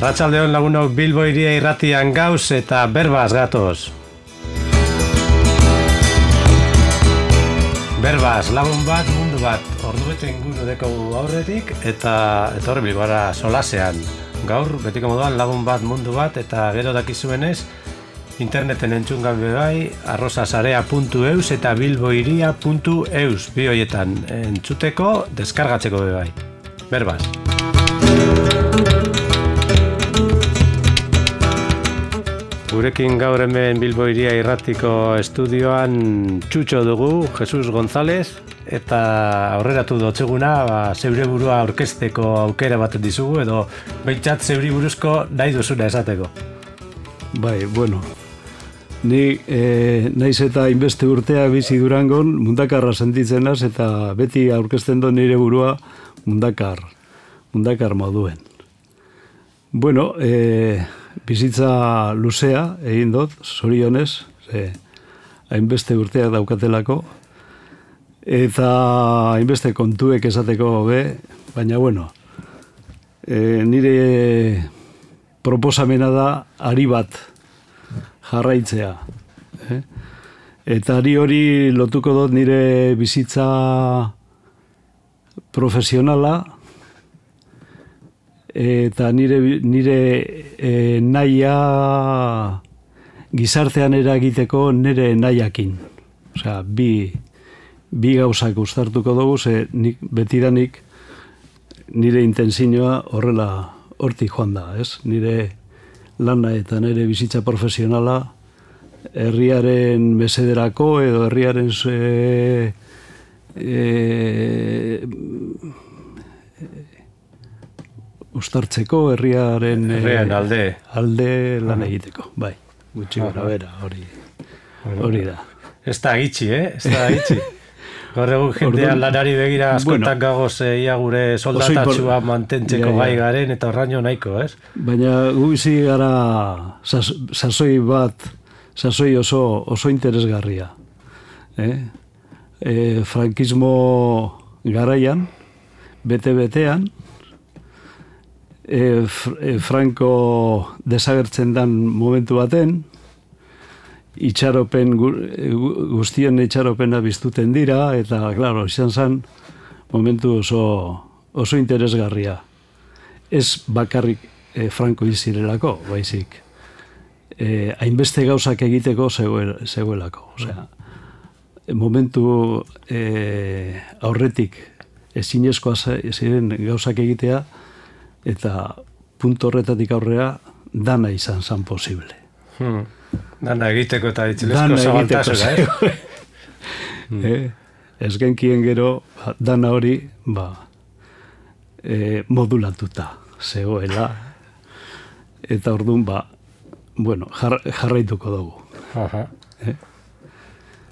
Arratsaldeon lagunok, Bilbo Hiria Irratian gauz eta berbaz gatoz. Berbaz, lagun bat, mundu bat, ordubete inguru dekogu aurretik eta etorri Bilbora solasean. Gaur, betiko moduan, lagun bat, mundu bat, eta gero dakizuenez, interneten entzungan bebai, arrosasarea.eus eta bilbohiria.eus bi hoietan entzuteko, deskargatzeko bebai. Berbaz. Gurekin gaur hemen Bilbo Hiria Irratiko estudioan Txutxo dugu, Jesus González, eta aurreratu dotzeguna, zeure burua aurkezteko aukera bat dizugu, edo behintzat zeuri buruzko nahi duzuna esateko. Bai, bueno, ni naiz eta inbeste urteak bizi Durangon mundakarra sentitzen naz, eta beti aurkezten do nire burua mundakar moduen. Bueno, bizitza luzea egin dut, zorionez, hainbeste urteak daukatelako, eta hainbeste kontuek esateko be, baina bueno, nire proposamena da ari bat jarraitzea. Eta ari hori lotuko dut nire bizitza profesionala, eta nire nahia gizartean eragiteko nire nahiakin. Osea, bi gauzak uztartuko dugu, ze betidanik nire intentzioa horrela hortik joan da, ez? Nire lana eta nire bizitza profesionala herriaren mesederako edo herriaren ustartzeko, herriaren alde lan egiteko, bai, gutxi gara bera, hori da. Ez da gitxi, Ez da gitxi. Gaur egun jendean lanari begira askotan gagoz ia gure soldatatxua mantentzeko gai garen, eta horraino nahiko, ez? Baina gu bizi gara sasoi oso interesgarria. Frankismo garaian, bete-betean, Franco desagertzen dan momentu baten, guztien itxaropena biztuten dira, eta, klaro, izan zen momentu oso interesgarria. Ez bakarrik Franco izirelako, baizik. Hainbeste gauzak egiteko zegoelako. Osea, momentu aurretik ezinezkoa ziren gauzak egitea, eta punto horretatik aurrea dana izan zan posible. Dana egiteko eta ditzilezko zabaltasuna, Ez genkien gero, dana hori modulatuta zegoela, eta orduan jarraituko dugu.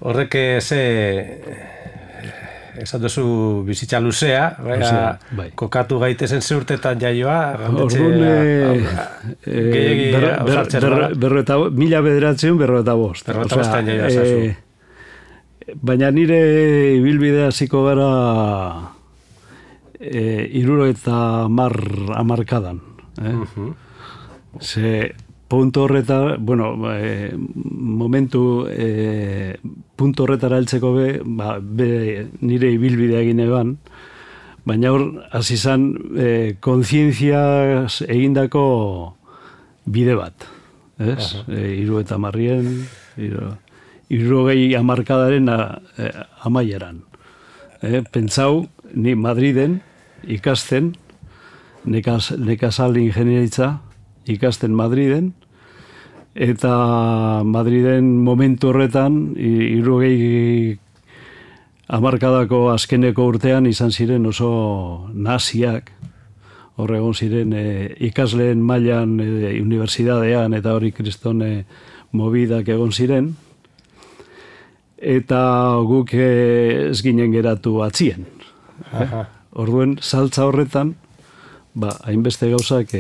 Horrek esan duzu bizitza luzea, kokatu gaitezen zeurtetan jaioa, mila bederatzeun 45. Baina nire ibilbidea hasiko gara 70 hamarkadan. Ze punto horretara, punto horretara heltzeko nire ibilbidea egin eban, baina hor, hasi zan, kontzientzia egindako bide bat. 70 hamarkadaren amaieran. Pentsau, ni Madriden ikasten, nekazal ingenieritza, ikasten Madriden, eta Madriden momentu horretan, 70 hamarkadako azkeneko urtean izan ziren oso naziak, horregon ziren ikasleen mailan unibertsitatean eta hori kriston mobidak egon ziren, eta guk ez ginen geratu atzien. Orduen, saltza horretan, hainbeste gauzak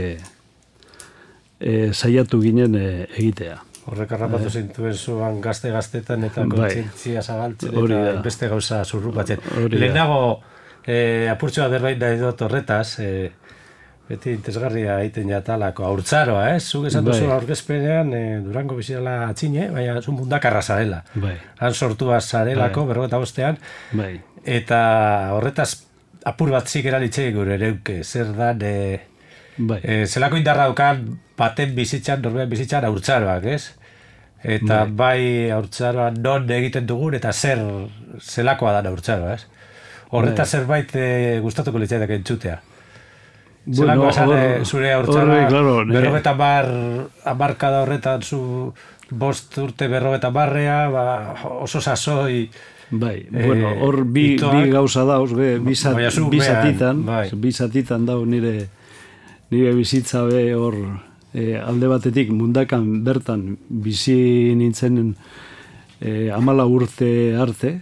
saiatu ginen egitea. Horrek harrapatu zintuen zuan gazte-gaztetan eta kontzientzia zabaltzen eta beste gauza zurrupatzen. Lehenago, apurtxoa berbait nahi dut horretaz, Beti interesgarria egiten jatalako haurtzaroa, Zuk esan duzu aurkezpenean Durango bizirala atxine, baina zu mundakarra zarela. Han sortua zarelako, 45ean. Eta horretaz apur bat zikera ditzeik gure ereuke, zer dan, zelako indarra daukan baten bizitzan, norbean bizitzan haurtzaroak, Eta bai haurtzaroa non egiten dugun eta zelakoa da haurtzaroa, Horretaz zerbait gustatuko litzaidak entzutea. Zelakoa zure haurtzaroa, 50 horretan zu 5 urte 50 oso sasoi. Hor bi gauza dauz, bi zatitan dau nire bizitza hor alde batetik mundakan bertan bizi nintzen 14 urte arte.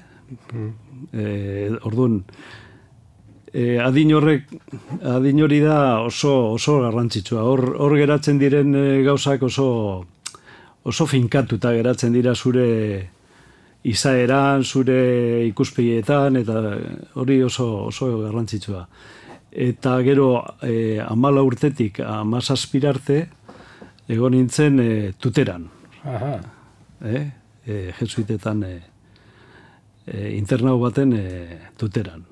Orduan, adin hori da oso garrantzitsua. Hor geratzen diren gauzak oso finkatuta geratzen dira zure izaeran, zure ikuspegietan, eta hori oso garrantzitsua. Eta gero 14 urtetik 17 arte egon nintzen tuteran. Jesuitetan internau baten tuteran.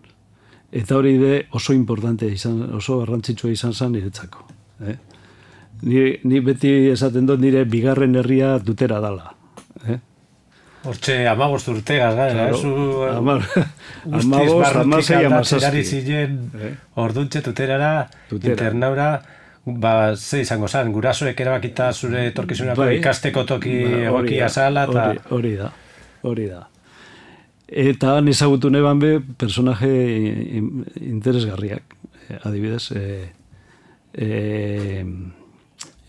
Eta hori oso importante oso garrantzitsua izan zen niretzako. Ni beti esaten dut nire bigarren herria tutera dala. Hortxe 15 urtegaz gara, guztiz barrutik aldatzen ziren orduntxe tuterara, internaura, ze izango zen, gurasoek erabakita zure etorkizunako ikasteko toki egokia zala. Hori da. Eta han ezagutu neban personaje interesgarriak, adibidez,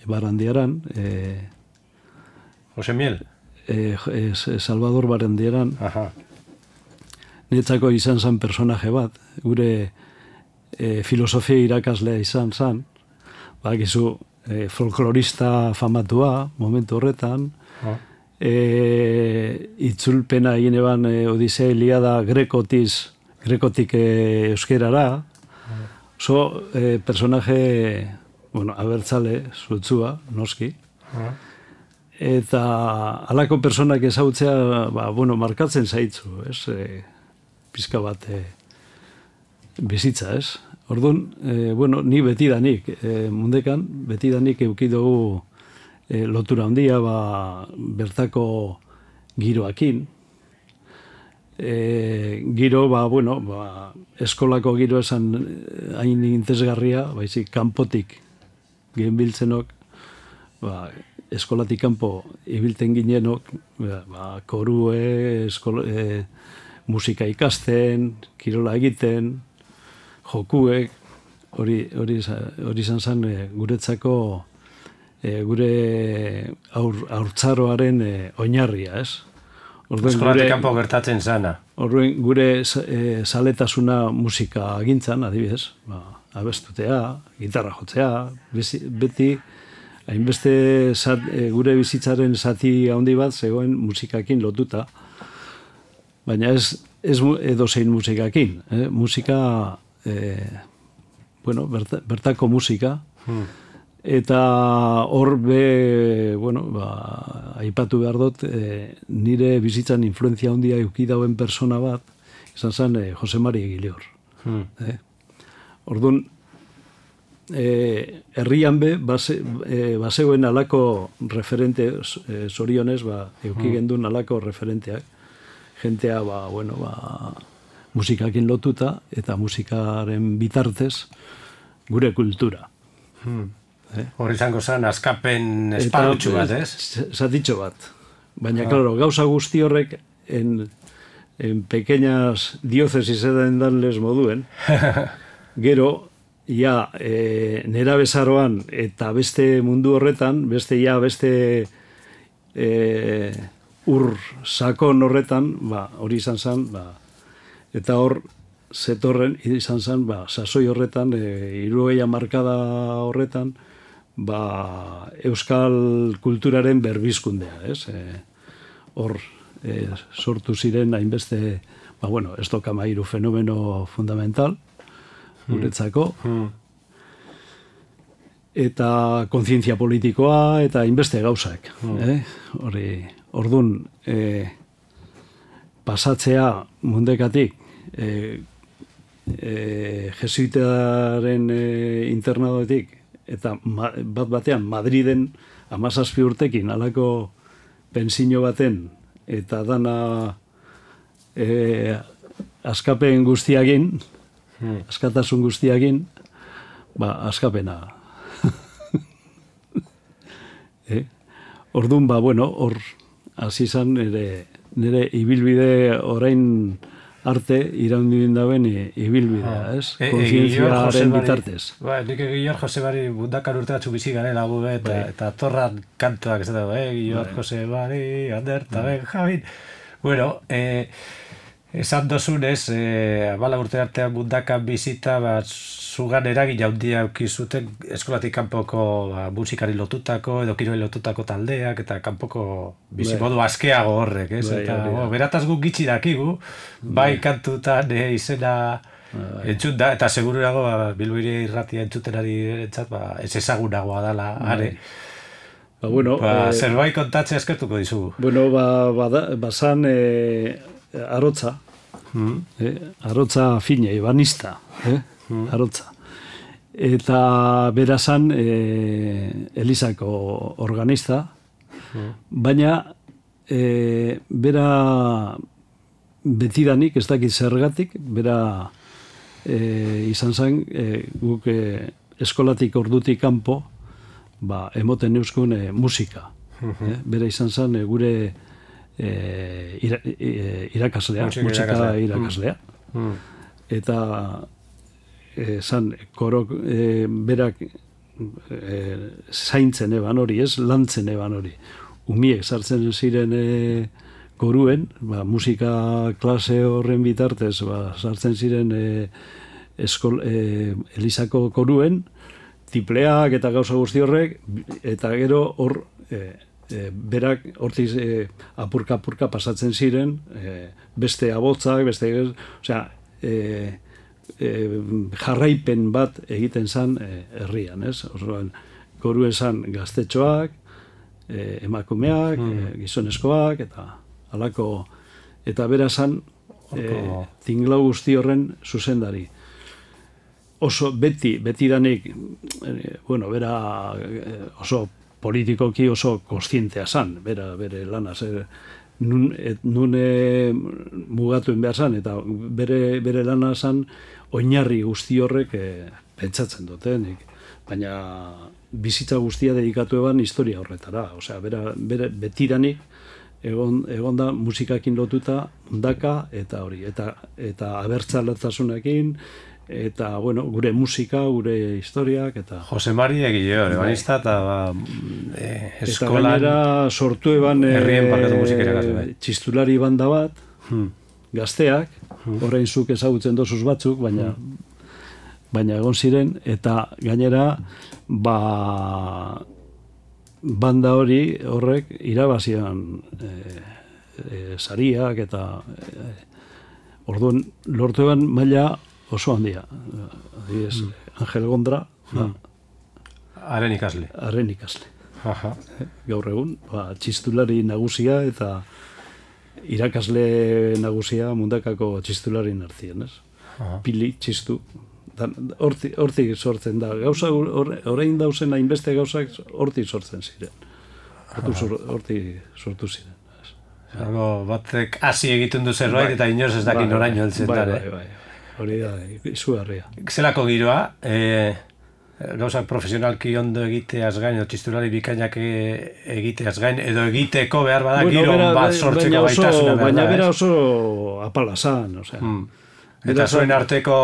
Barandiaran. Jose Miel? Salvador Barandiaran. Netzako izan zen personaje bat, gure filosofia irakaslea izan zen, bakizu folklorista famatua, momentu horretan, itzulpena egin eban Odisea Iliada grekotik euskerara, personaje, abertzale, zutzua, noski, eta halako personak ezautzea, markatzen zaitzu, pizka bat bizitza, Orduan, ni betidanik, mundekan, betidanik eukidugu lotura handia, bertako giroakin. Giro, eskolako giro esan hain interesgarria, baizik, kanpotik genbiltzenok, eskolatik kanpo ibilten ginenok, korue, musika ikasten, kirola egiten, jokuek, hori izan zen guretzako gure haurtzaroaren oinarria, Eskolatik kanpo gertatzen zana. Horren gure zaletasuna musika gintzan, adibidez, abestutea, gitarra jotzea, beti hainbeste gure bizitzaren zati handi bat zegoen musikakin lotuta, baina ez edozein musikakin. Musika, bertako musika, eta hor aipatu behar dut, nire bizitzan influenzia handia eukidauen persona bat, izan zen Jose Mari Egilior. Orduan, herrian bazegoen alako referente, zorionez, eukigendun alako referenteak, jentea, musikakin lotuta, eta musikaren bitartez, gure kultura. Hor izango zen, askapen esparrutxu bat, Zatitxo bat. Baina, klaro, gauza guzti horrek en pequeñas diócesis edan danles moduen, gero, nera bezaroan eta beste mundu horretan, beste ur sakon horretan, hori izan zen, eta hor, zetorren, izan zen, sasoi horretan, 60 markada horretan, euskal kulturaren berbizkundea, hor sortu ziren hainbeste, ez dokamairu fenomeno fundamental, guretzako, eta kontzientzia politikoa, eta inbeste gauzak. Ordun pasatzea mundekatik jesuitaren internadoetik, eta bat batean Madriden 17 urtekin alako pentsio baten, eta dana askapen guztiagin, askatasun guztiagin, askapena. Orduan, hor hasi izan nire ibilbide orain arte iraundin dauen ibilbidea, ez? Kontzientziaren bitartez. Nik Guillor Josebari Mundakar urteatxu bizi garela gube, eta torran kantuak ez da, Guillor Josebari, Ander, eta Benjamin. Bueno, esan dozunez, 14 urte artean Mundakan bizita, zugan eragin jaundia eukizuten eskolatik kanpoko musikari lotutako, edo kiroi lotutako taldeak, eta kanpoko bizimodu askeago horrek, ez? Eta berataz guk gitxi dakigu, bai kantutan izena entzun da, eta segururago Bilboire irratia entzutenari entzat, ez ezagunagoa dela, are. Zerbait kontatzea eskertuko dizugu. Bazan arotza, arotza fine, ebanista, arotza. Eta berazan Elizako organista, baina bera betidanik, ez dakit zergatik, bera izan zen guk eskolatik ordutik kanpo emoten euskun musika. Bera izan zen gure irakaslea, musika irakaslea. Eta zan, korok berak zaintzen eban hori, ez lantzen eban hori. Umiek sartzen ziren koruen, musika klase horren bitartez, sartzen ziren Elizako koruen, tipleak eta gauza guzti horrek, eta gero hor berak hortiz apurka pasatzen ziren, beste abotzak, beste, osea, jarraipen bat egiten zan herrian, ez? Orduan, koruen zan gaztetxoak, emakumeak, gizonezkoak, eta halako, eta bera zan tinglau guzti horren zuzendari. Oso betidanik, bera oso politikoki oso kontzientea zan, bere lanaz, nun mugatuen behar zan, eta bere lana zan oinarri guzti horrek pentsatzen dutenik. Baina bizitza guztia dedikatu eban historia horretara. Osea, bere betiranik egon da musikakin lotuta Mundaka eta hori, eta abertzaletasunekin, eta, gure musika, gure historiak, eta... Jose Mari Guillor, ebanista, eta eskolan... Eta gainera sortu eban txistulari banda bat, gazteak, orain zuk ezagutzen dozuz batzuk, baina egon ziren, eta gainera, banda hori horrek irabazian sariak, eta orduan lortu eban maila oso handia. Angel Gondra. Haren ikasle. Haren ikasle. Gaur egun, txistulari nagusia eta irakasle nagusia Mundakako txistularien artien, ez? Pili, txistu. Hortik sortzen da. Gauza, orain dauzen hainbeste gauzak hortik sortzen ziren. Hortik sortu ziren. Batek hasi egiten du zerbait eta inoz ez dakin oraino heltzen dara. Hori da, izugarria. Zelako giroa, gauzak profesionalki ondo egiteaz gain, txistulari bikainak egiteaz gain, edo egiteko behar bada giro bat sortzeko baitasuna behar da. Baina bera oso apala zan, osea. Eta zoen arteko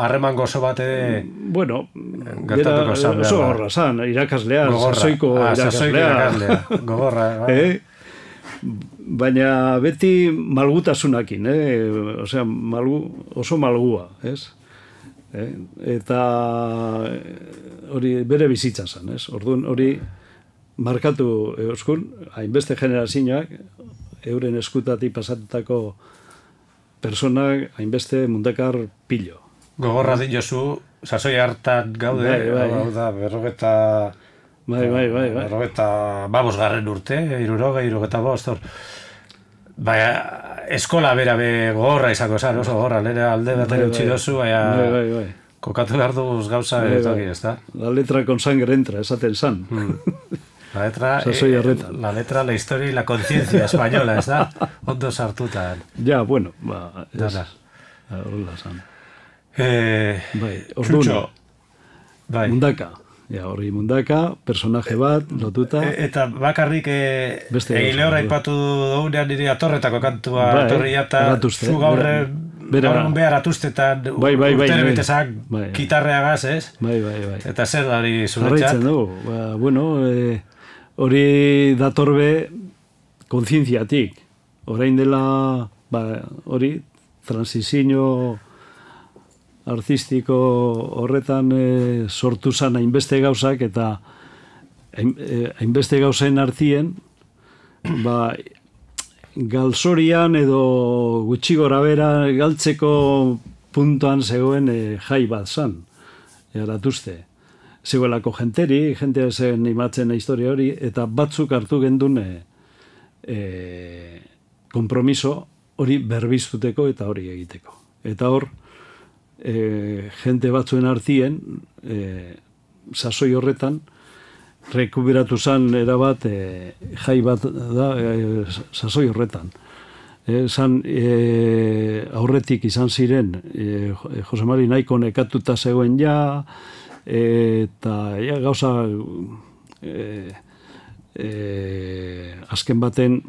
harreman gozo bat ere gertatuko zan behar da. Oso gorra zan, irakaslea, sasoiko irakaslea. Gogorra. Baina beti malgutasunakin, osea, oso malgua, ez? Eta hori bere bizitza zen, ez? Orduan hori markatu euskun, hainbeste generazioak, euren eskutatik pasatutako personak hainbeste Mundakar pilo. Gogorra diozu, sasoi hartan gaude, hau da, berrogeta babosgarren urte, 65, baina eskola bera gogorra izango zen, oso gogorra, nire alde batera utzi dozu, baina kokatu behar duguz gauza toki, ez da? La letra con sangre entra, esaten zan. La letra, la historia y la conciencia española, ez da? Ondo sartuta. Ja, bueno, horrela zan. Txutxo. Mundaka. Ja, hori Mundaka, personaje bat, lotuta. Eta bakarrik Lehorra aipatu dugunean nire atorretako kantua atorria eta zu gaur behar atuztetan urtere betezak kitarreagaz, ez? Bai. Eta zer da hori zuretzat? Jarraitzen dugu. Bueno, hori datorbe kontzientziatik. Orain dela, hori, transizio artistiko horretan sortu zan hainbeste gauzak eta hainbeste gauzen artien galzorian edo gutxi gora bera galtzeko puntuan zegoen jai bat zan, eratuzte. Zegoelako jentea zen imatzen historia hori, eta batzuk hartu gendun kompromiso hori berbiztuteko eta hori egiteko. Eta hor, jente batzuen artien, sasoi horretan, rekuberatu zan erabat jai bat da sasoi horretan. Aurretik izan ziren, Jose Mari nahiko nekatuta zegoen ja, eta gauza azken baten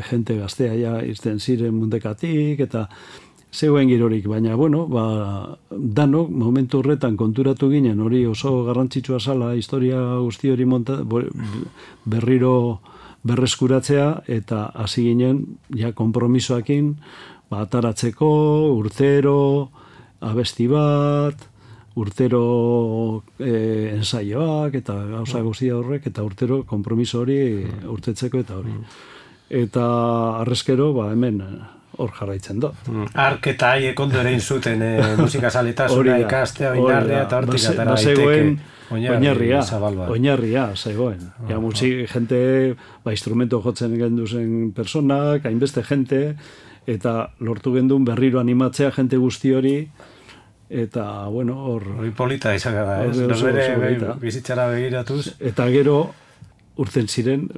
jente gaztea ja izten ziren Mundekatik, eta zegoen girorik, baina, bueno, danok, momentu horretan konturatu ginen, hori oso garrantzitsua zala, historia guzti hori berriro berreskuratzea, eta hasi ginen, ja, kompromisoakin, ataratzeko, urtero, abesti bat, urtero ensaioak, eta gauza guztia horrek, eta urtero kompromiso hori urtetzeko eta hori. Eta arrezkero, hemen, hor jarraitzen dut. Ark eta haiek ondo ere inzuten musikazaletasuna ikastea, oinarria, eta hortik atara daiteke oinarria zegoen. Jente, instrumento jotzen genduzen personak, hainbeste jente, eta lortu gendun berriro animatzea jente guzti hori, eta, bueno, hor... Hori polita izan gara, ez? Norbere bizitzara begiratuz. Eta gero, urten ziren,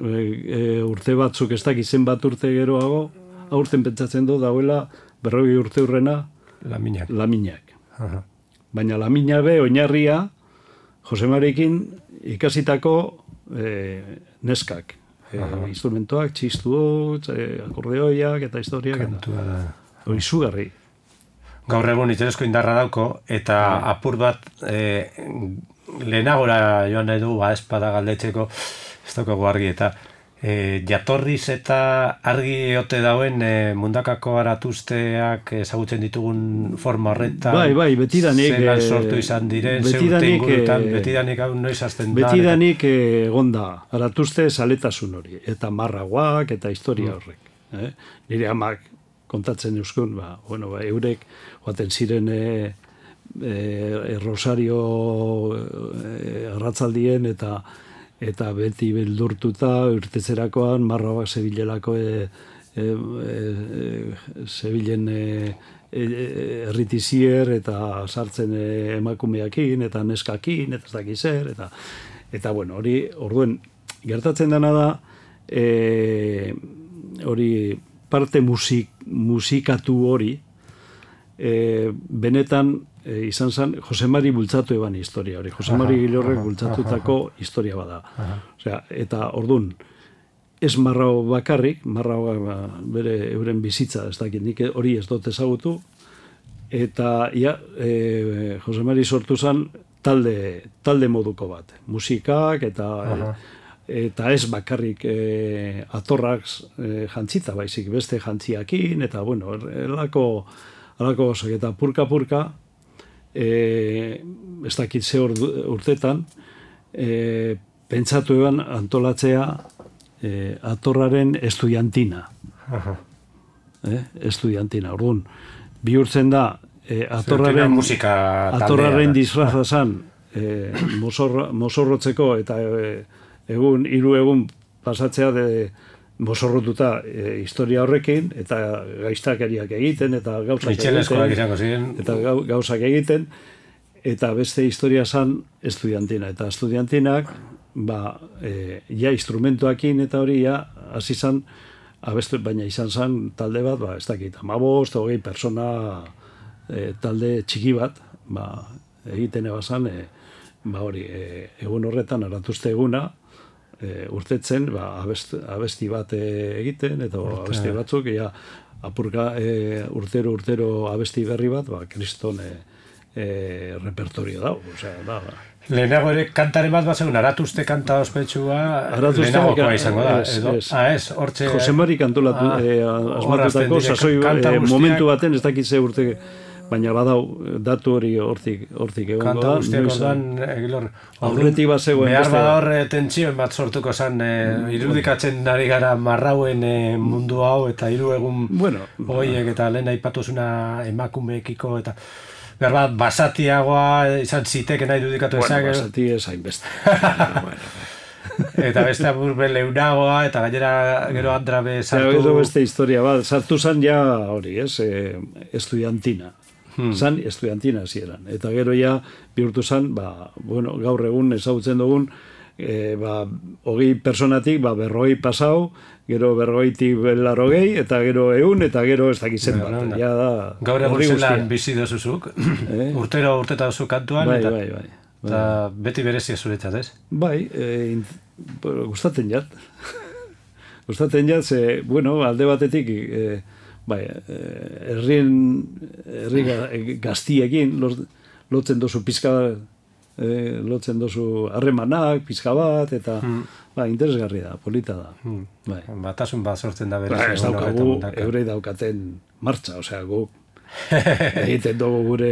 urte batzuk ez dakizen bat urte geroago, aurten pentsatzen du dauela 40 urte urrena Laminak. Baina Lamina be oinarria Jose Marikin ikasitako neskak. Instrumentoak, txistuot, akordeoiak eta historiak. Izugarri. Gaur egun interesko indarra dauko, eta apur bat lehenagora joan nahi du, espada galdetzeko, ez daukagu argi, eta jatorriz eta argi ote dauen Mundakako aratuzteak ezagutzen ditugun forma horretan. Bai, betidanik. Zelan sortu izan diren, zeurte ingurutan, betidanik hau noiz azten da. Betidanik egonda, aratuzte saletasun hori, eta marraguak, eta historia horrek. Nire amak kontatzen euskun, eurek, oaten ziren Rosario arratzaldien, eta beti beldurtuta urtetzerakoan marroak zebilelako zebilen erritizier eta sartzen emakumeakin eta neskakin eta ez dakiz zer eta bueno, hori orduen gertatzen dena da hori parte musikatu hori benetan izan zen Jose Mari bultzatu eban historia hori. Jose Mari Gilorrek bultzatutako historia bada. Osea, eta ordun ez marrao bakarrik, marrao bere euren bizitza, ez dakit, nik hori ez dut ezagutu, eta Jose Mari sortu zen talde moduko bat. Musikak eta ez bakarrik atorrak jantzita baizik, beste jantziakin, eta bueno, elako gozak, eta purka, ez dakit ze urtetan, pentsatu eban antolatzea atorraren estudiantina. Estudiantina, orduan, bihurtzen da atorraren disfraza zan mozorrotzeko eta hiru egun pasatzea mozorrotuta historia horrekin eta gaiztakeriak egiten eta gauzak egiten eta beste historia zan estudiantina eta estudiantinak ja instrumentuakin eta hori ja hasi zan abestu, baina izan zan talde bat, ez dakit, 15-20 persona talde txiki bat, egiten ebazan, hori, egun horretan, aratuzte eguna, urtetzen, abesti bat egiten, eta abesti batzuk, apurka urtero abesti berri bat, kriston repertorio dago, osea, Lehenago ere kantaren bat zegoen, Aratuzte kanta ospetsua lehenagokoa izango da. Hortxe... Jose Mari kantolatu, asmatutako, sasoi momentu baten, ez dakitze urte, baina badau, datu hori hortik egongo da. Kanta guztiak ondoan, aurretik bat zegoen. Behar bada horre tentsioen bat sortuko zen, irudikatzen ari gara marrauen mundu hau, eta 3 egun horiek, eta lehen aipatuzuna emakumeekiko, eta... Behar basatiagoa izan ziteke nahi dudikatu ezak. Basati ez hainbeste. Eta beste aburbe leunagoa, eta gainera gero Andrabe sartu... Gero beste historia bat, sartu zan ja hori, estudiantina. Zan estudiantina zieran. Eta gero ja bihurtu zan, gaur egun ezagutzen dugun, 20 personatik 40 pasau, gero 40tik 80, eta gero 100, eta gero ez dakitzen bat. Gaur egun zelan bizi dozuzuk, urteta dozu kantuan, eta beti berezia zuretzat, ez? Bai, gustatzen jat. Gustatzen jat, alde batetik, herri gaztiekin, lotzen dozu pizka lotzen dozu harremanak, pizka bat, eta interesgarri da, polita da. Batasun bat sortzen da berez. Ez daukagu, eurei daukaten martxa, osea, gu egiten dugu gure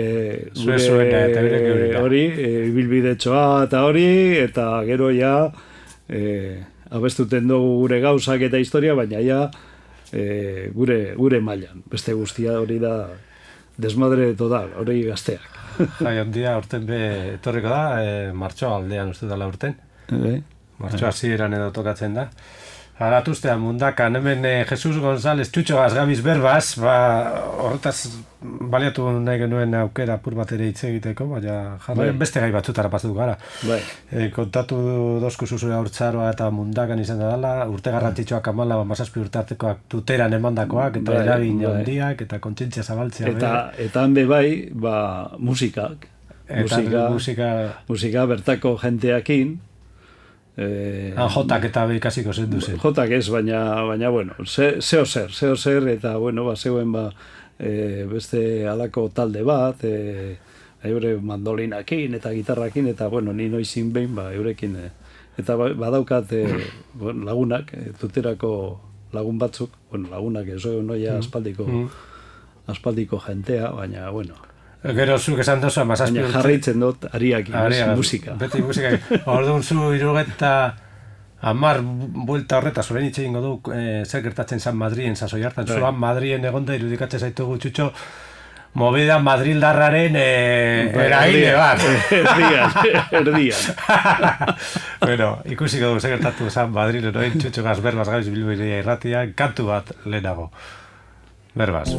hori, ibilbidetxoa eta hori, eta gero ja abestuten dugu gure gauzak eta historia, baina ja gure mailan. Beste guztia hori da desmadre total, hori gazteak. Jai, ondia urten etorriko da, martxoa aldean uste dela urten. Martxoa hasieran edo tokatzen da. Aratuztean mundakan, hemen Jesus González Txutxo Gazgabiz berbaz, horretaz baliatu nahi genuen aukera apur bat ere hitz egiteko, baina jarraian beste gai batzutara pasatu gara. Kontatu dozku zuzure haurtzaroa eta mundakan izan da dela, urte garrantzitsuak 17 urte artekoak tuteran emandakoak, eta eragin handiak, eta kontzientzia zabaltzea. Eta hanbe bai, musikak. Musika bertako jenteakin, jotak eta ikasiko zen duzen. Jotak ez, baina bueno, zeo zer, eta zegoen beste alako talde bat, eure mandolinakin eta gitarrakin, eta ni noizin behin, eurekin, eta badaukat lagunak, tuterako lagun batzuk, lagunak ez, noia aspaldiko jentea, baina, Gero zuk esan dozu, baina jarraitzen dut ariakin, musika. Beti musika. Orduan zu 70 buelta horretaz, orain hitz egingo du, zer gertatzen zan Madrien sasoi hartan. Zuan Madrien egonda irudikatzen zaitugu Txutxo, movida madrildarraren eragile bat. Erdian. Ikusiko du zer gertatu zan Madrilen, orain Txutxo Gazberbaz Gabiz Bilboiria irratia, kantu bat lehenago. Berbaz.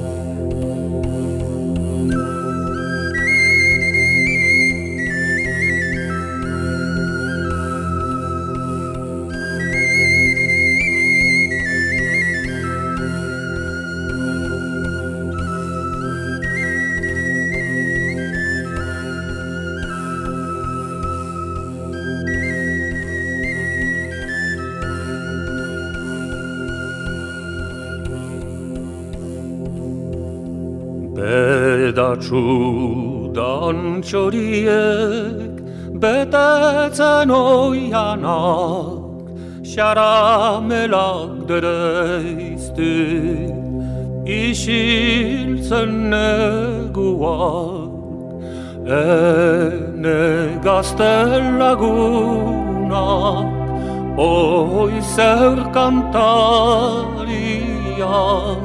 Bedatxudan txoriek betetzen oianak, xaramelak dereiztu, isiltzen neguak, ene gazten lagunak, oi zer kantariak,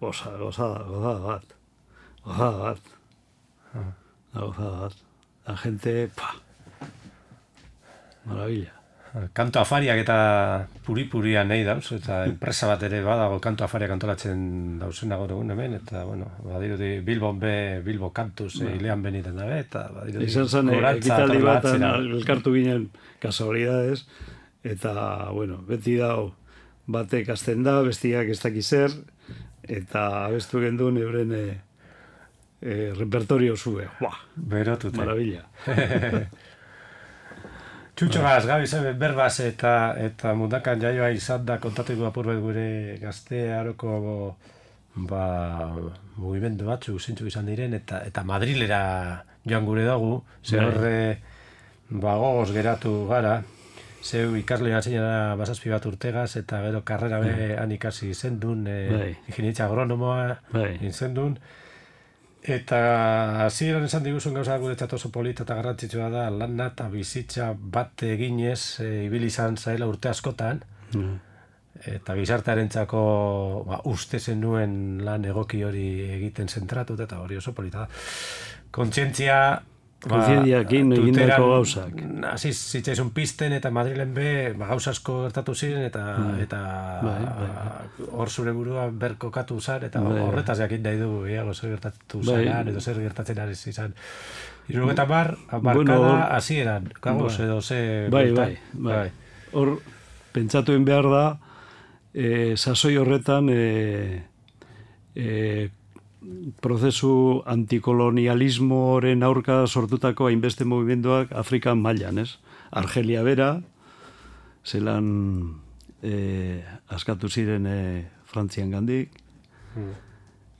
Gozada bat. La gente, maravilla. Kanto afariak eta puri-purian nahi dauz, eta enpresa bat ere badago kanto afariak antolatzen dauzena gaur egun hemen, eta, bueno, badirudi Bilbo kantuz hilean beniten dabe, eta badirudi izan zen, ekitaldi bat elkartu ginen kasualidades, eta, bueno, beti dao batek azten da, bestiak ez dakiz zer, eta abestu gendun euren repertorio zue. Berotute. Maravilla. Txutxogaz, Gabi, berbaz eta mundakan jaioa izan da kontatuko apurbet gure gazte aroko mugimendu batzu zintxuk izan diren eta Madrilera joan gure dugu, ze horre gogoz geratu gara, zeu ikasle zinara bazazpi bat urtegaz eta gero karrera han ikasi zendun, ingenietza agronomoa izendun. Eta hasieran esan diguzun gauza guretzat oso polita eta garrantzitsua da lana eta bizitza bat eginez ibili izan zaela urte askotan eta gizartearentzako uste zenuen lan egoki hori egiten zentratu eta hori oso polita da. Kontzientzia kontzientziakin egindako gauzak. Hasi zitzaizun pizten eta Madrilen gauza asko gertatu ziren eta hor zure burua berkokatu zan eta horretaz jakin nahi dugu eago zer gertatu zaran edo zer gertatzen ari izan. 70 markada hasieran, gagoz edo ze... Bai. Hor, pentsatuen behar da, sasoi horretan prozesu antikolonialismoren aurka sortutako hainbeste mugimenduak Afrikan mailan, ez? Argelia bera, zelan askatu ziren Frantzian gandik,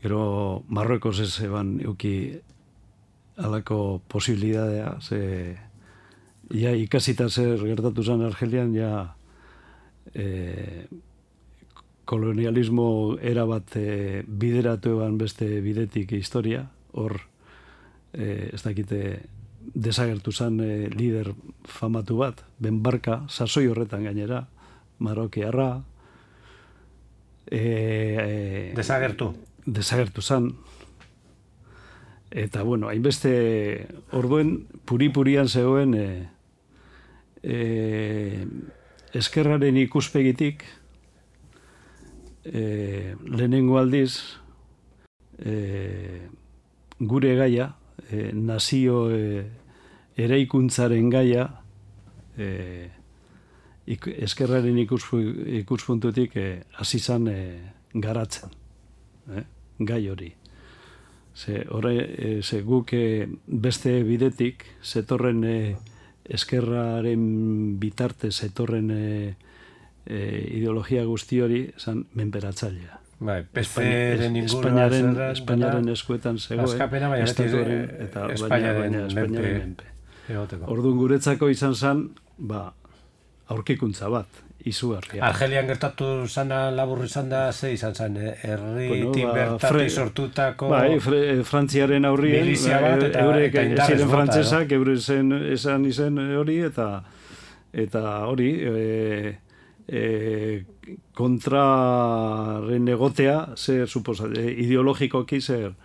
gero Marruekos ez eban euki alako posibilidadea, ze ikasita zer gertatu zen Argelian, kolonialismo erabat bideratu eban beste bidetik historia, hor ez dakite desagertu zen lider famatu bat, Ben Barka, sasoi horretan gainera, marokiarra. Desagertu zen. Eta, bueno, hainbeste orduen puri-purian zegoen eskerraren ikuspegitik lehenengo aldiz gure gaia, nazio eraikuntzaren gaia eskerraren ikuspuntutik hasi zan garatzen, gai hori. Ze guk beste bidetik zetorren eskerraren bitarte zetorren ideologia guzti hori zan menperatzailea. Espainiaren eskuetan zegoen, estatuaren eta Espainiaren menpe. Orduan guretzako izan zen, aurkikuntza bat, izugarria. Argelian gertatu zana labur izan da, ze izan zen, herritik bertatik sortutako... Frantziaren aurrien, milizia bat eurek ziren frantzesak, esan izen hori, eta hori, kontraren egotea, zer ideologikoki zer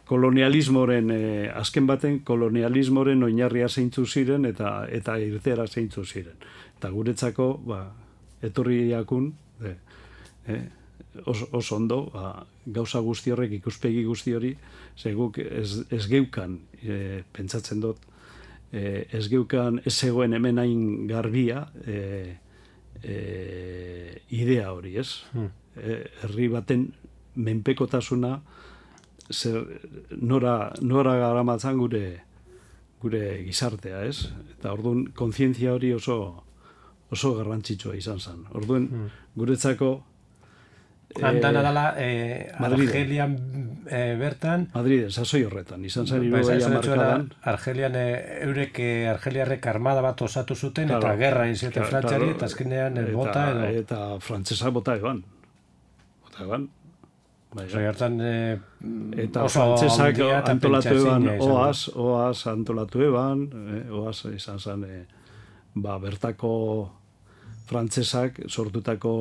kolonialismoren, azken baten kolonialismoren oinarria zeintzu ziren eta irteera zeintzu ziren. Eta guretzako, etorriakun, oso ondo, gauza guzti horrek, ikuspegi guzti hori, guk ez geukan, pentsatzen dut, ez geukan ez zegoen hemen hain garbia, idea hori, ez? Herri baten menpekotasuna nora garamatzan gure gizartea, ez? Eta orduan kontzientzia hori oso garrantzitsua izan zen. Orduan guretzako Andan adala Argelian bertan Madriden, sasoi horretan, izan zen 60 markadan. Argelian argeliarrek armada bat osatu zuten eta gerra inzioten Frantziari eta azkenean bota edo. Eta frantzesa bota eban. Eta frantzesak antolatu eban oaz antolatu eban, oaz izan zen bertako frantzesak sortutako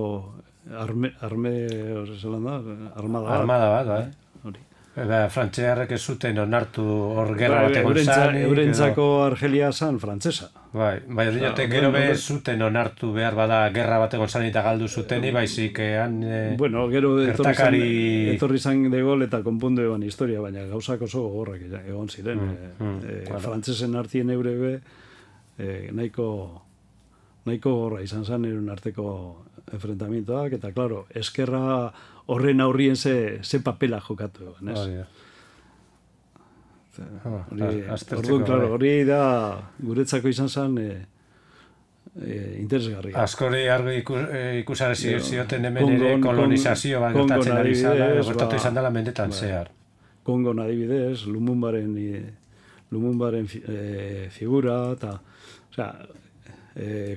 Armada bat, bai. Hori. Frantziarrek ez zuten onartu hor gerra bat egon zanik. Eurentzako Argelia zan frantzesa. Bai, dinote gero bez zuten onartu behar bada gerra bat egon zanik eta galdu zuteni, baizik bueno, gero etorri zan de gol eta konpundu eban historia, baina gauzak oso gogorrak egon ziren. Frantzesen artien eurebe nahiko gorra izan zen erun arteko enfrentamientoak, eta, claro, eskerra horren aurrien ze papela jokatu egon, ez? Hori da, guretzako izan zen interesgarria. Askori argi ikusarezi zioten hemen ere kolonizazio bat gertatzen ari zala, gertatu izan dela mendetan zehar. Kongon adibidez, Lumumbaren figura, eta,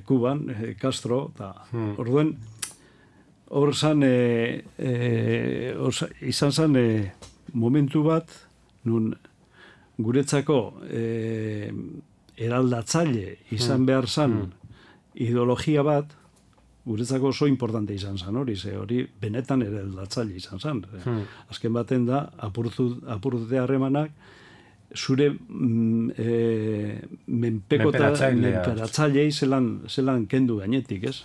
Kuban, Castro, eta orduen hor zan izan zan momentu bat nun guretzako eraldatzaile izan behar zan ideologia bat guretzako oso importante izan zan hori benetan eraldatzaile izan zan. Azken baten da apurtute harremanak zure menperatzailei zelan kendu gainetik, ez?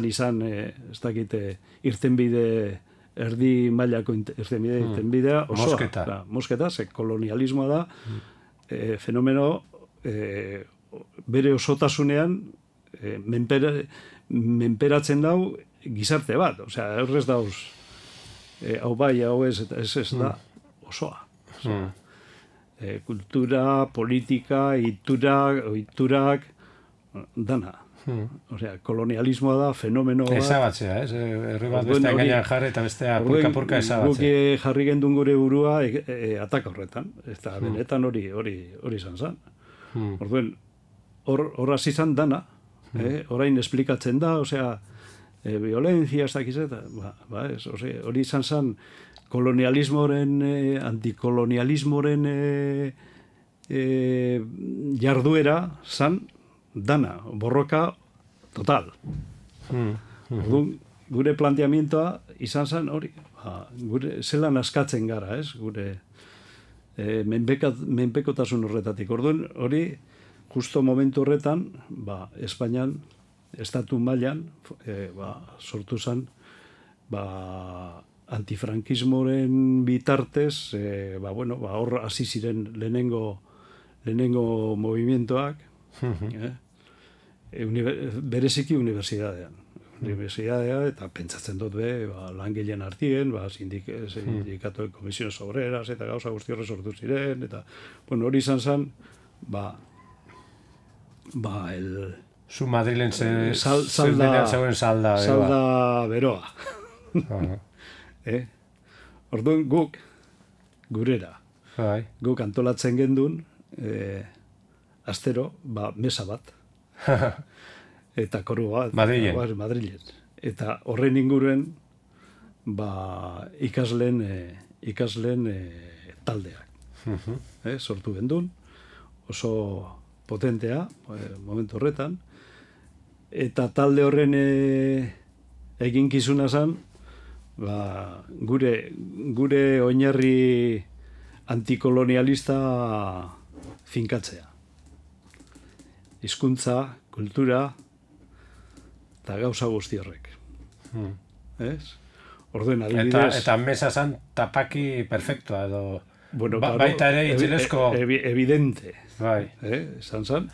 Izan, ez dakite, irtenbide, erdi mailako irtenbidea, osoa. Mosketa, ze kolonialismoa da, fenomeno bere osotasunean menperatzen dau gizarte bat. Osea, horrez dauz, hau bai, hau ez da osoa. Kultura, politika, oiturak, dana. Osea, kolonialismoa da, fenomeno bat. Ezabatzea, ez? Herri bat bestean gainean jarri eta bestea purka-purka ezabatzea. Guk jarri gendun gure burua ataka horretan. Eta benetan hori izan zen. Orduen, hor hasi izan dana. Orain esplikatzen da, osea, violencia, ez dakiz eta, hori izan zen kolonialismoren, antikolonialismoren jarduera zan dana, borroka total. Gure planteamientoa izan zen hori, gure zelan askatzen gara, ez? Gure menpekotasun horretatik. Orduan hori, justo momentu horretan, Espainian, estatu mailan, sortu zen, antifrankismoren bitartez, hor hasi ziren lehenengo movimientoak, bereziki universidadean. Universidadea, eta pentsatzen dut langileen artien, sindikatoen komisiones obreras, eta gauza guzti horre sortu ziren, eta, hori izan zen, Zu Madrilen zeuen salda. Salda beroa. Orduan guk, gurera, guk antolatzen gendun, astero, mesa bat, eta koru bat, Madrilen. Eta horren inguruen, ikasleen taldeak. Sortu gendun, oso potentea, momentu horretan, eta talde horren eginkizuna zen, gure oinarri antikolonialista finkatzea. Hizkuntza, kultura, eta gauza guzti horrek. Orduen adibidez... Eta mesa zan tapaki perfectua, edo... Baita ere itzilesko... Evidente. Zan,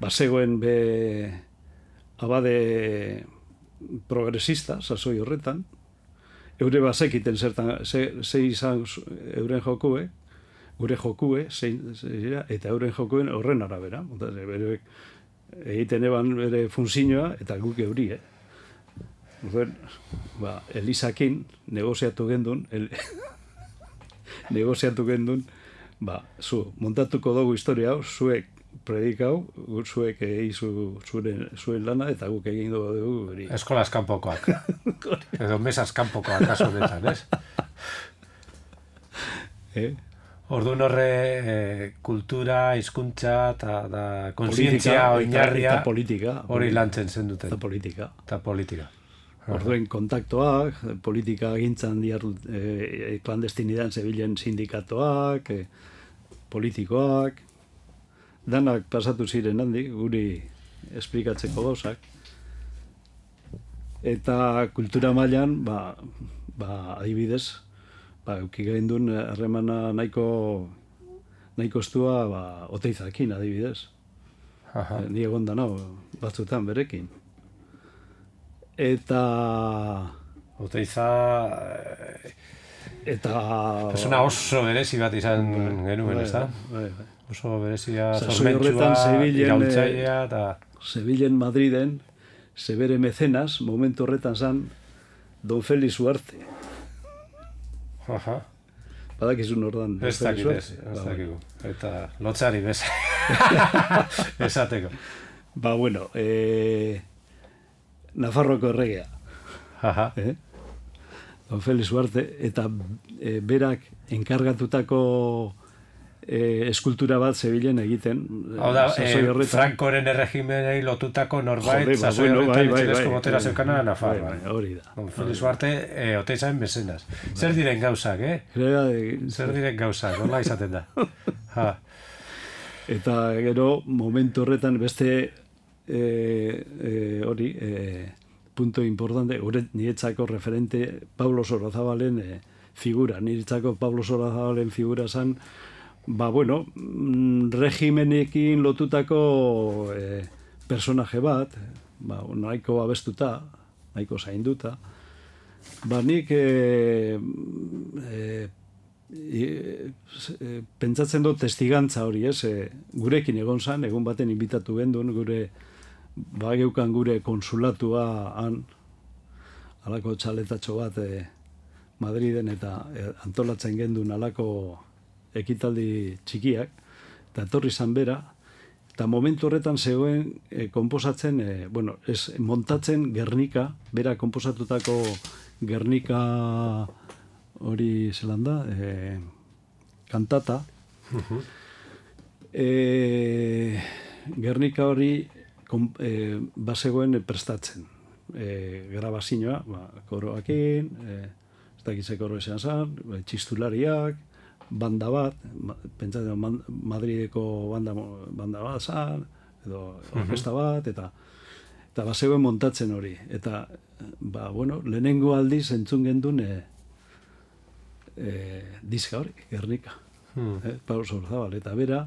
bazegoen abade progresista, sasoi horretan, eure bazekiten ze izan euren jokue, gure jokue, eta euren jokuen horren arabera. Egiten eban bere funzioa, eta guk euri, Elisakin negoziatu gendun, zu, montatuko dugu historia hau, zuek predikau, zuek zuen lana, eta guk egin dugu. Eskolaz kanpokoak. Edo mesaz kanpokoak, kaso honetan, ez? Orduan horre kultura, hizkuntza eta kontzientzia oinarria eta politika hori lantzen zen duten. Eta politika. Orduen kontaktoak, politika gintzan klandestinidan zebilen sindikatoak, politikoak, danak pasatu ziren handik, guri esplikatzeko gauzak. Eta kultura mailan, adibidez, euki gaindun harremana nahiko estua Oteizakin, adibidez. Ni egon da nao, batzutan berekin. Eta... Oteiza... Eta... Persona oso berezi bat izan genuen, ez da? Oso berezia, zormentsua, iraultzailea, eta... Zebilen Madriden, zebere mecenas, momentu horretan zan, Don Felix Uarte. Badakizun ordan. Ez dakigu. Eta lotzari bez. Esateko. Bueno, Nafarroko erregea. Don Felix Uarte, eta berak enkargatutako eskultura bat zebilen egiten. Hau da, Frankoren erregimenei lotutako norbait, sasoi horretan itxilezko motera zeukana Nafarroa. Hori da. Don Felix Uarte, Oteizaen mesenas. Zer diren gauzak, Zer diren gauzak, hola izaten da. Eta gero, momentu horretan beste punto importante, niretzako referente Pablo Sorozabalen figura. Niretzako Pablo Sorozabalen figura zan, regimenekin lotutako personaje bat, nahiko abestuta, nahiko zainduta, nik pentsatzen dut testigantza hori, gurekin egon zan, egun baten inbitatu gendun, bageukan gure konsulatua han, alako txaletatxo bat Madriden eta antolatzen gendun alako ekitaldi txikiak, eta etorri zan bera, eta momentu horretan zegoen konposatzen, montatzen Gernika, bera konposatutako Gernika hori zelan da, kantata. Gernika hori bazegoen prestatzen. Grabazioa, koroakin, ez dakize koro esan zan, txistulariak, banda bat, pentsatzen Madrideko banda bat zan, edo orkesta bat, eta bazegoen montatzen hori. Eta, lehenengo aldiz entzun gendun diska hori, Gernika. Pablo Sorozabal, eta bera,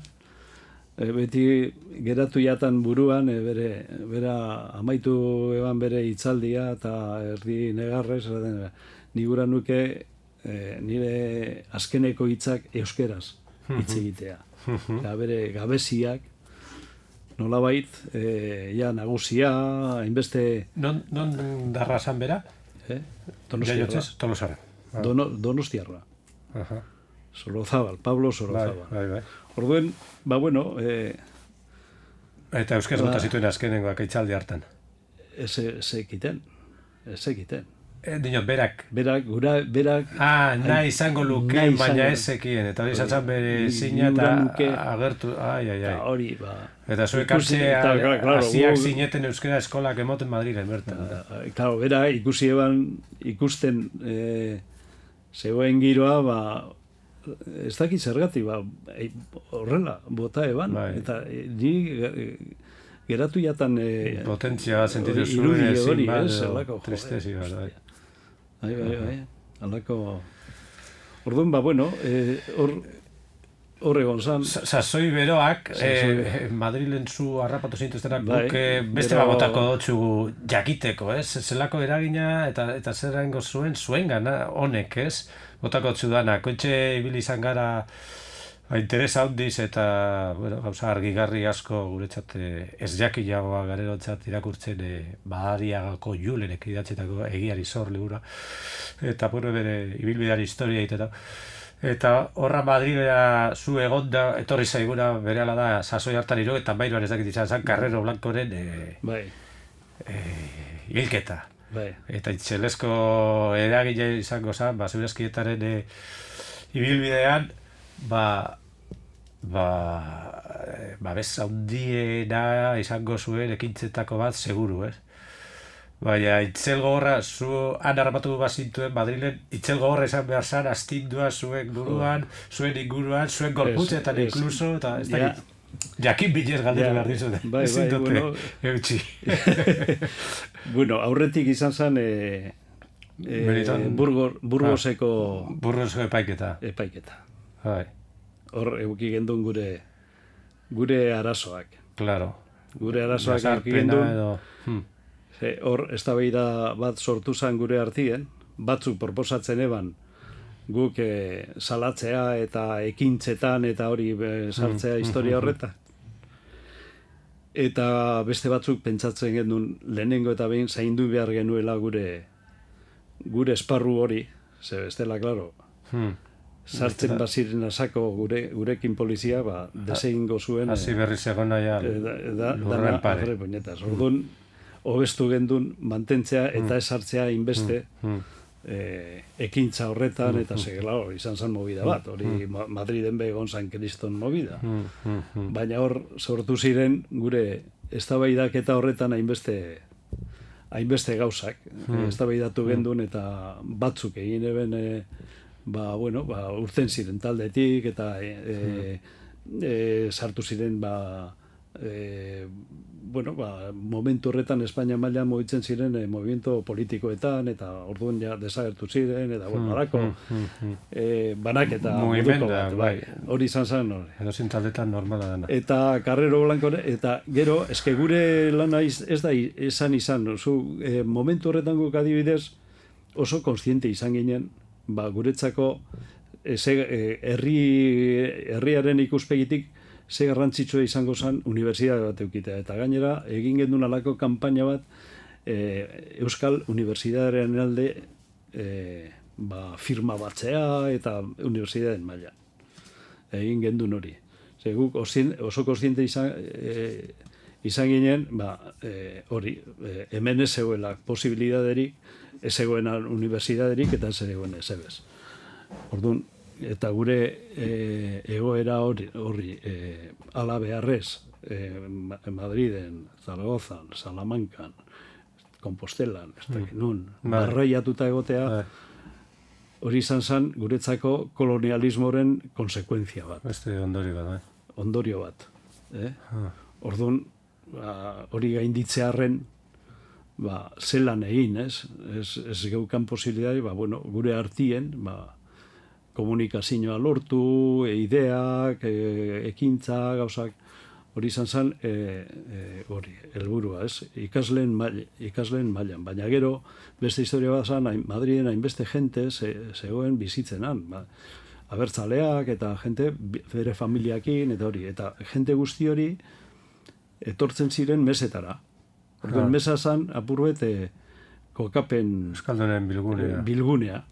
beti geratu jatan buruan, bera amaitu eban bere hitzaldia, eta erdi negarrez, nigura nuke nire azkeneko hitzak euskeraz hitz egitea. Eta bere gabeziak, nolabait, nagusia, hainbeste... Non darra zan bera? Donostiarra. Tolosarra. Donostiarra. Sorozabal, Pablo Sorozabal. Orduen, eta euskera bota zituen azkenengoak hitzaldi hartan. Ez ekiten. Dinot, berak. Berak... nahi izango luke, baina ez ekien. Eta hori zatzen bere zina eta agertu... Hori, Eta zuek hasiak zineten euskera eskolak emoten Madrilen bertan. Claro, bera ikusten zegoen giroa, ez dakit zergatik, horrela, bota eban. Eta ni geratu jatan... Potentzia sentitu zuen ezin bat, tristezi bat. Alako... Orduan, hor egon zan... Sasoi beroak, Madrilen zu harrapatu zintuztenak guk beste babotako dutxu jakiteko, ez? Zelako eragina eta zer egingo zuen gana honek, ez? Botako dutxu dana, kontxe ibili izan gara interesa handiz eta gauza argigarri asko guretzat ez jakilagoa garerotzat irakurtzen Badariagako Julenek idatzetako egiari zor libura eta bere ibilbideari historia egiteta. Eta horra Madrilera zu egonda etorri zaiguna berehala da sasoi hartan 73an ez dakit izan zen Carrero Blancoren hilketa. Eta itxelesko eragile izango zen, Segurazkietaren ibilbidean babes handiena izango zuen ekintzetako bat seguru, ez? Baina, itzel gogorra, zu han harrapatu bazintuen Madrilen, itzel gogorra izan behar zan, astindua zuen buruan, zuen inguruan, zuen gorputzetan inkluso, eta ez da, jakin bilez galdetu behar dizute. Bai, bueno, eutxi. Bueno, aurretik izan zen Burgoseko epaiketa. Bai. Hor euki gendun gure arazoak. Claro. Gure arazoak euki gendun. Hor, eztabaida bat sortu zen gure artien, batzuk proposatzen eban guk salatzea eta ekintzetan eta hori sartzea historia horretan. Eta beste batzuk pentsatzen genuen lehenengo eta behin zaindu behar genuela gure esparru hori, ze bestela, klaro, sartzen baziren asako gurekin polizia, desegingo zuen. Hasi berri zegona ja lurren pare. Orduan, hobestu gendun mantentzea eta esartzea inbeste ekintza horretan, eta segela izan zen movida bat, hori Madriden begon zan kriston movida. Baina hor sortu ziren gure eztabaidak eta horretan hainbeste gauzak, eztabaidatu gendun eta batzuk egin eben urten ziren taldetik eta sartu ziren momentu horretan Espainia mailan mugitzen ziren movimiento politikoetan eta orduan ja desagertu ziren eta barako banaketa moduko bat, bai. Hori izan zen hori. Edo zintaldetan normala dena. Eta Carrero Blanco eta gero eske gure lana ez da izan, momentu horretan guk adibidez oso kontziente izan ginen, guretzako herriaren ikuspegitik ze garrantzitsua izango zen unibertsitate bat eukitea. Eta gainera, egin gendun alako kanpaina bat Euskal Unibertsitatearen alde firma batzea eta unibertsitateen maila. Egin gendun hori. Guk oso kontziente izan ginen, hori, hemen ez zegoela posibilidaderik, ez zegoen unibertsitaterik eta ez zegoen ez ebez. Orduan, eta gure egoera hori ala beharrez Madriden, Zaragozan, Salamancan, Compostelan, barraiatuta egotea, hori izan zen guretzako kolonialismoren konsekuentzia bat. Beste ondorio bat, Ondorio bat. Orduan, hori gainditzearren, zelan egin, ez geukan posibilidade, gure artien, komunikazioa lortu, ideak, ekintza, gauzak, hori izan zen, hori, helburua, ikasleen mailan. Baina gero, beste historia bat zen, Madriden hainbeste jente zegoen bizitzenan, abertzaleak eta jente bere familiakin, eta hori, eta jente guzti hori etortzen ziren mesetara. Orduan, mesa zen, apurbet, kokapen Euskaldunen bilgunea.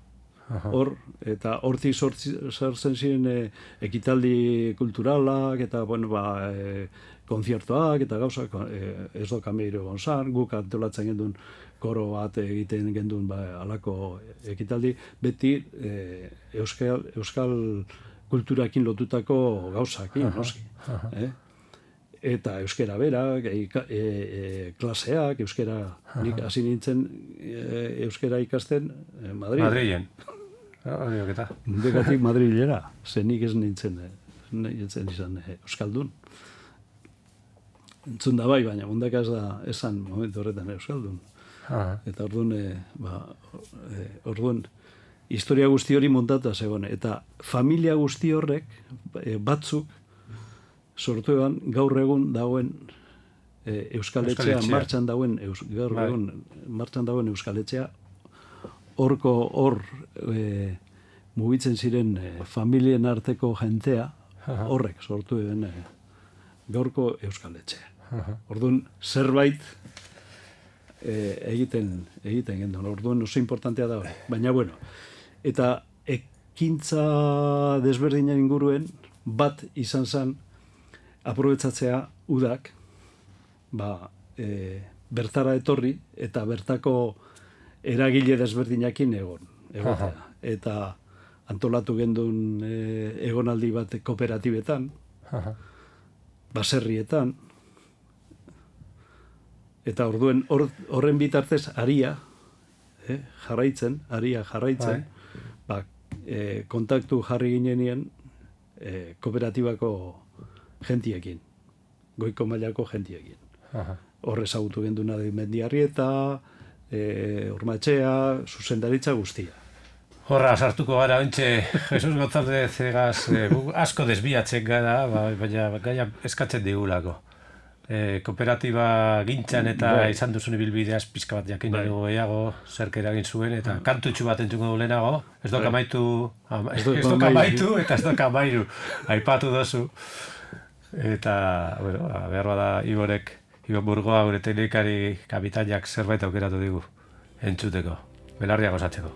Hor, eta hortik sartzen ziren ekitaldi kulturalak, eta, konzertuak, eta gauzak, ez do kameiro gonzan, guk antolatzen gendun koro bat egiten gendun alako ekitaldi, beti euskal kulturakin lotutako gauzakin, noski. Eta euskera berak, klaseak, euskera, nik hasi nintzen euskera ikasten Madrilen. Dekatik Madrilera, nik ez nintzen izan euskaldun. Entzun da baina mundaka ez da esan momentu horretan euskaldun. Eta orduan, historia guzti hori montata zegoen. Eta familia guzti horrek, batzuk, sortu eban gaur egun dagoen Euskaletxea, martxan dagoen Euskaletxea, hor mugitzen ziren familien arteko jentea, horrek sortu den gaurko Euskaletxea. Orduan, zerbait egiten gendun. Orduan, oso importantea da hori. Baina, eta ekintza desberdinen inguruen bat izan zen aprobetzatzea udak bertara etorri eta bertako eragile desberdinakin egotea. Eta antolatu gendun egonaldi bat kooperatibetan, baserrietan, Eta orduen horren bitartez aria jarraitzen, kontaktu jarri ginenean kooperatibako gentiekin, goiko mailako gentiekin. Horre ezagutu genduna Mendiarrieta, Ormatxea, zuzendaritza guztia. Horra, sartuko gara, ontxe, Jesus González egaz, asko desbiatzen gara, baina gaia eskatzen digulako. Kooperatiba gintzan eta izan duzun ibilbideaz pizka bat jakin dugu gehiago, zerk eragin zuen, eta kantutxu bat entzuko du lehenago, ez dok amaitu eta ez dok amairu, aipatu dozu. Eta, bueno, behar bada Ibon Burgoa gure teknikari kapitainak zerbait aukeratu digu, entzuteko, belarriak osatzeko.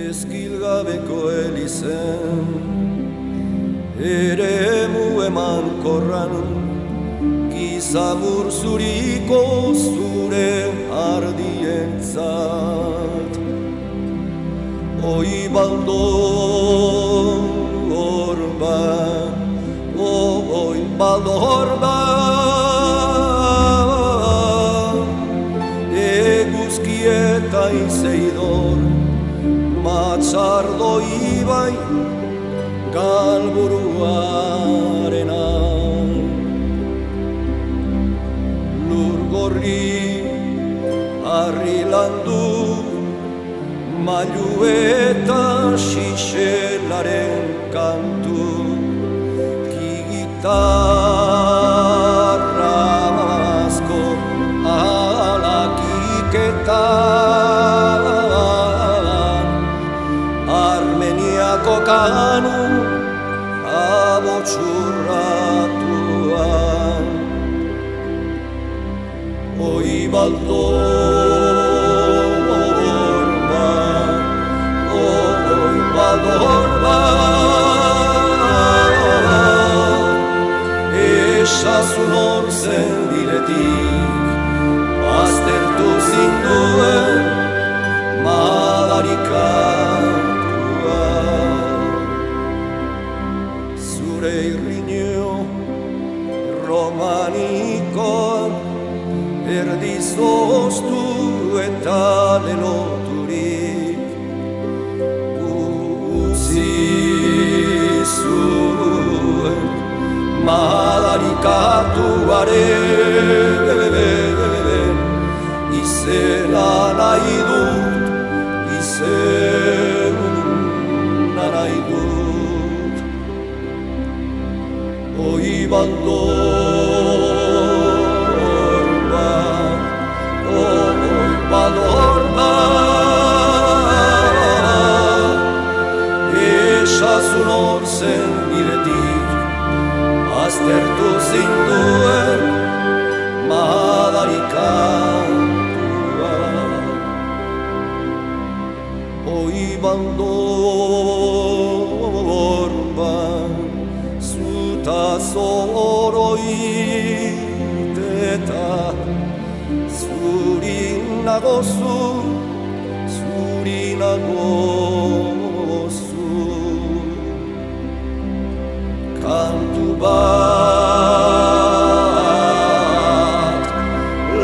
Ezkilgabeko elizen eremu emankorran gizamur zuriko zure ardientzat oi baldor bat oi baldor bat eguzkieta izeidor Matzardo ibai galburuarena Lur gorri harri landu mailu eta xixelaren kantu Kigitarra asko alakiketan kanu abotxurratuan oi baldor bat oi baldor bat esazun hor zen diretik aztertu zinduen madarikan romanikoan erdizoztu eta leloturik utzi zuen madarikatuaren izena nahi dut izena nahi dut oi baldor bat oi baldor bat esazun hor zen biretik aztertu zinduen madarikatua oi baldor bat zoroiteta zuri nagozu kantu bat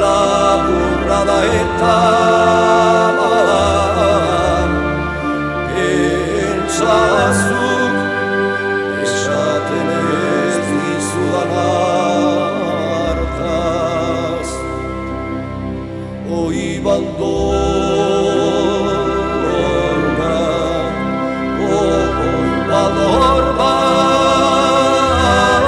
laburra da eta pentsazuk esaten ez dizudan hartaz oi baldor bat oi baldor bat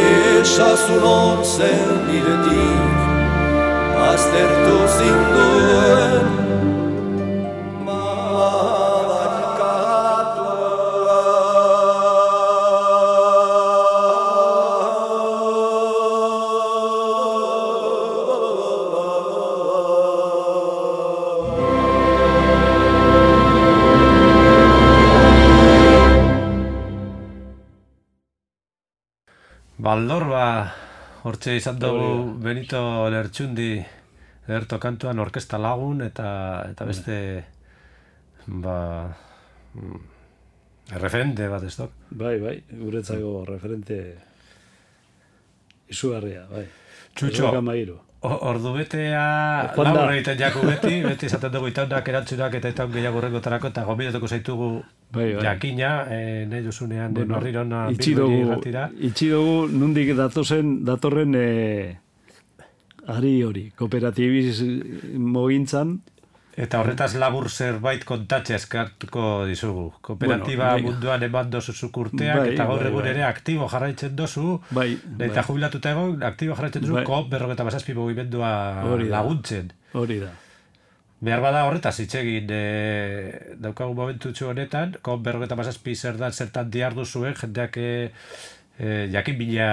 esazun hor zen biretik aztertu zinduen Baldorba, hortxe izan dugu Benito Lertxundi ederto kantuan orkesta lagun eta beste referente bat ez dok? Bai, guretzako referente izugarria, bai. Txutxo, ordubetea labur egiten jaku beti esaten dugu itaunak erantzunak eta itaun gehiago horrengotarako eta gombidatuko zaitugu jakina, nahi duzunean barrirona bilbiri irratira. Itxi dugu nundik datorren ari hori, kooperatibismo gintzan. Eta horretaz labur zerbait kontatxe eskartuko dizugu. Kooperatiba munduan eman dozu zukurteak, eta gaur egun ere aktibo jarraitzen dozu, eta jubilatuta egon, aktibo jarraitzen dozu, COP 47 mugimendua laguntzen. Hori da. Behar bada horretaz hitz egin daukagun momentutxo honetan, COP 47 zer da zertan diardu zuen, jendeak jakin bila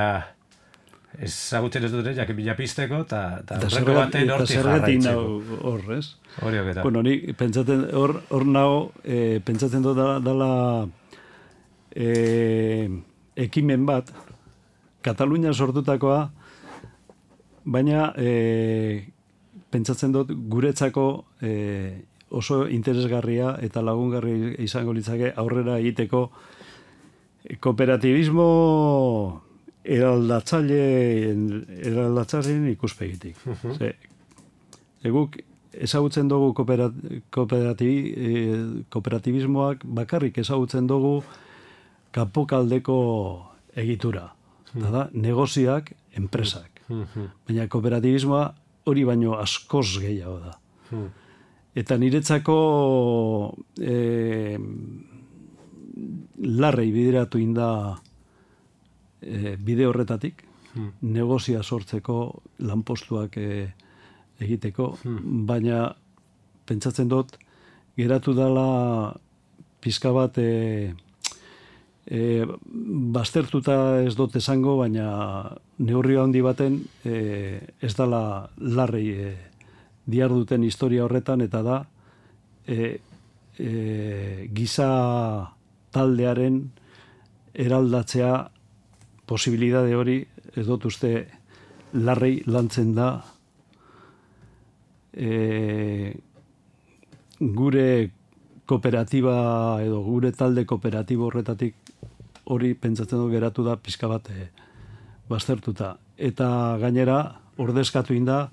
ezagutzen ez dut, jakin bila pizteko, eta horreko baten hortik jarraitzeko. Horrez. Hori oketa. Bueno, ni pentsatzen, hor nago, pentsatzen dut dala ekimen bat, Katalunia sortutakoa, baina pentsatzen dut guretzako oso interesgarria eta lagungarri izango litzake aurrera egiteko kooperatibismo eraldatzaileen ikuspegitik. Eguk ezagutzen dugu kooperatibismoak bakarrik ezagutzen dugu kanpokaldeko egitura. Da, negozioak, enpresak. Baina kooperatibismoa hori baino askoz gehiago da. Eta niretzako larrei bideratu inda bide horretatik, negozia sortzeko, lanpostuak egiteko, baina pentsatzen dut, geratu dela pizka bat baztertuta ez dut esango, baina neurri handi baten ez dela larrei diarduten historia horretan, eta da giza taldearen eraldatzea posibilidade hori, ez dut uste larrei lantzen da gure kooperatiba edo gure talde kooperatibo horretatik hori pentsatzen dut geratu da pizka bat baztertuta. Eta gainera ordezkatu inda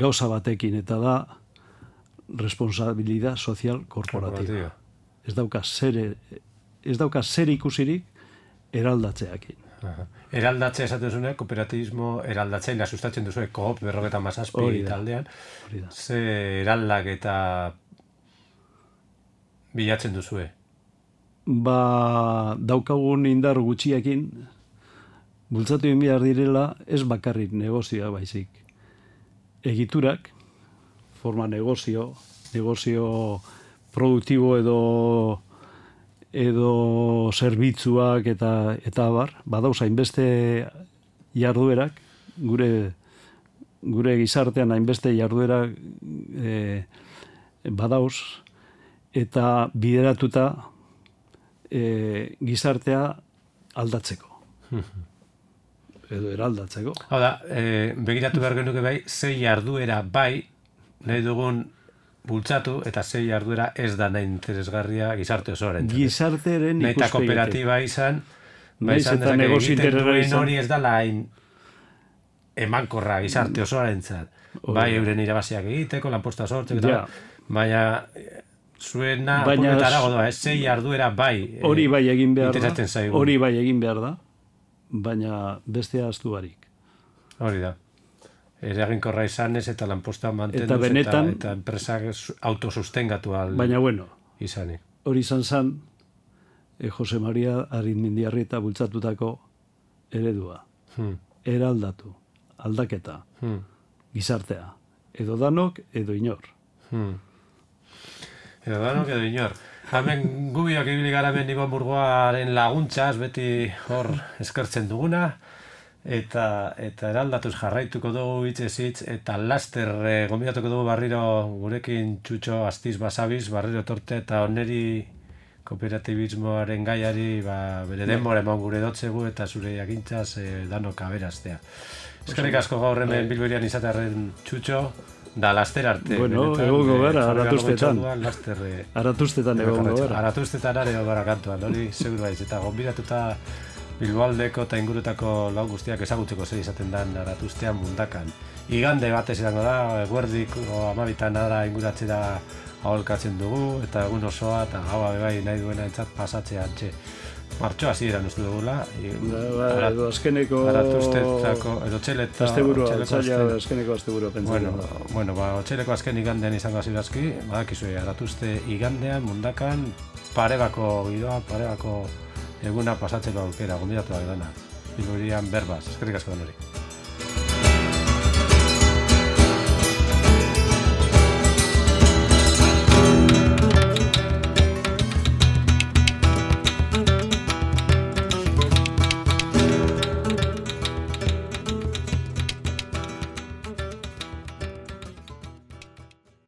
gauza batekin, eta da responsabilidad social korporatiba. Ez dauka zer ikusirik eraldatzeakin. Eraldatzea esaten duzune, kooperatibismo eraldatzailea sustatzen duzue COP 47 taldean. Ze eraldaketa bilatzen duzue? Daukagun indar gutxiekin bultzatu egin behar direla ez bakarrik negozioa baizik. Egiturak, forma negozio produktibo edo zerbitzuak eta abar, badauza hainbeste jarduerak, gure gizartean hainbeste jarduerak badauz, eta bideratuta gizartea aldatzeko. Edo eraldatzeko. Hau da, begiratu behar genuke bai, zei jarduera bai, nahi dugun bultzatu, eta zei jarduera ez da nahi interesgarria gizarte osoaren. Gizartearen ikuspegitik. Nahi eta kooperatiba izan, dezake egiten duen hori ez da lain emankorra gizarte osoaren zat. Bai, euren irabaziak egiteko, lanposta sortzeko, baina zuena puretara godoa, zei jarduera bai. Hori bai egin behar da, baina bestea ahaztu barik. Hori da. Eraginkorra izanez eta lanposta mantenduz eta enpresak autosustengatu baina bueno, izanik. Hori izan zan, Jose Maria Arizmendiarrieta bultzatutako eredua. Eraldatu, aldaketa, gizartea. Edo danok, edo inor. Edo danok, edo inor. Hemen gubiok ibili gara hemen Ibon Burgoaren laguntzaz, beti hor eskertzen duguna, eta eraldatuz jarraituko dugu hitz, eta laster gombidatuko dugu barriro gurekin Txutxo Astiz Basabiz, barriro torte, eta oneri kooperatibismoaren gaiari bere denbora eman gure dotzegu eta zure jakintzaz danok aberaztea. Eskerrik asko gaur hemen Bilberian izatearen Txutxo, da laster arte. Bueno, egongo gara, Aratuztetan. Aratuztetan egongo gara. Aratuztetan are gara kantuan, hori seguru baiz. Eta gonbidatuta Bilboaldeko eta ingurutako lau guztiak ezagutzeko zer izaten den Aratuztean mundakan. Igande batez izango da, eguerdiko 12 ara inguratzera aholkatzen dugu, eta egun osoa eta gaua bebai nahi duena entzat pasatzea antxe. Martxo hasieran uste dugula. Edo azkeneko... Aratuztetako, edo txeleta... Azkeneko asteburua pentsatzen. Bueno, otxeleko azken igandean izango zirazki, badakizue, Aratuzte igandean, mundakan, parebako giroa, parebako eguna pasatzeko aukera, gonbidatu da dena. Bilburian berbaz, eskerrik asko denori.